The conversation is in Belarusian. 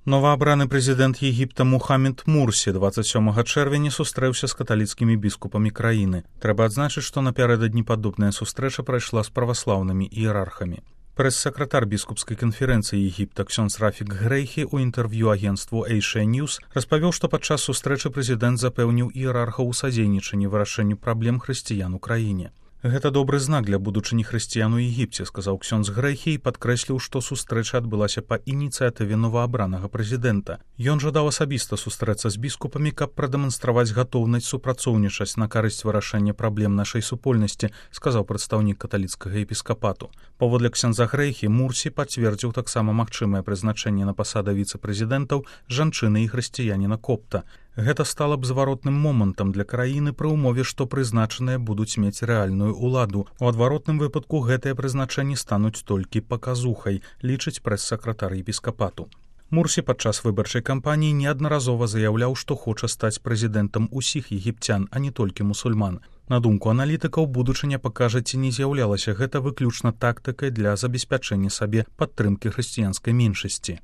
Новаабраны прэзідэнт Егіпта Мухаммед Мурсі 27 чэрвеня сустрэўся з каталіцкімі біскупамі краіны. Трэба адзначыць, што напярэдадні падобная сустрэча прайшла з праваслаўнымі іерархамі. Прэс-сакратар біскупскай канферэнцыі Егіпта ксёндз Рафік Грэйхі ў інтэрв'ю агенцтву Asia News распавёў, што падчас сустрэчы прэзідэнт запэўніў іерархаў у садзейнічанні вырашэнню праблем хрысціян у краіне. Гэта добры знак для будучыні хрысціян у Егіпце, сказаў ксёндз Грэйхі і падкрэсліў, што сустрэча адбылася па ініцыятыве новаабранага прэзідэнта. Ён жадаў асабіста сустрэцца з біскупамі, каб прадэманстраваць гатоўнасць супрацоўнічаць на карысць вырашэння праблем нашай супольнасці, сказаў прадстаўнік каталіцкага епіскапату. Паводле ксёндза Грэйхі, Мурсі пацвердзіў таксама магчымае прызначэнне на пасады віцэ-прэзідэнтаў жанчыны і хрысціяніна копта. Гэта стала б зваротным момантам для краіны пры ўмове, што прызначаныя будуць мець рэальную ўладу. У адваротным выпадку гэтыя прызначэнні стануць толькі паказухай, лічыць прэс-сакратар епіскапату. Мурсі падчас выбарчай кампаніі неаднаразова заяўляў, што хоча стаць прэзідэнтам усіх егіпцян, а не толькі мусульман. На думку аналітыкаў, будучыня пакажа, ці не з'яўлялася гэта выключна тактыкай для забеспячэння сабе падтрымкі хрысціянскай меншасці.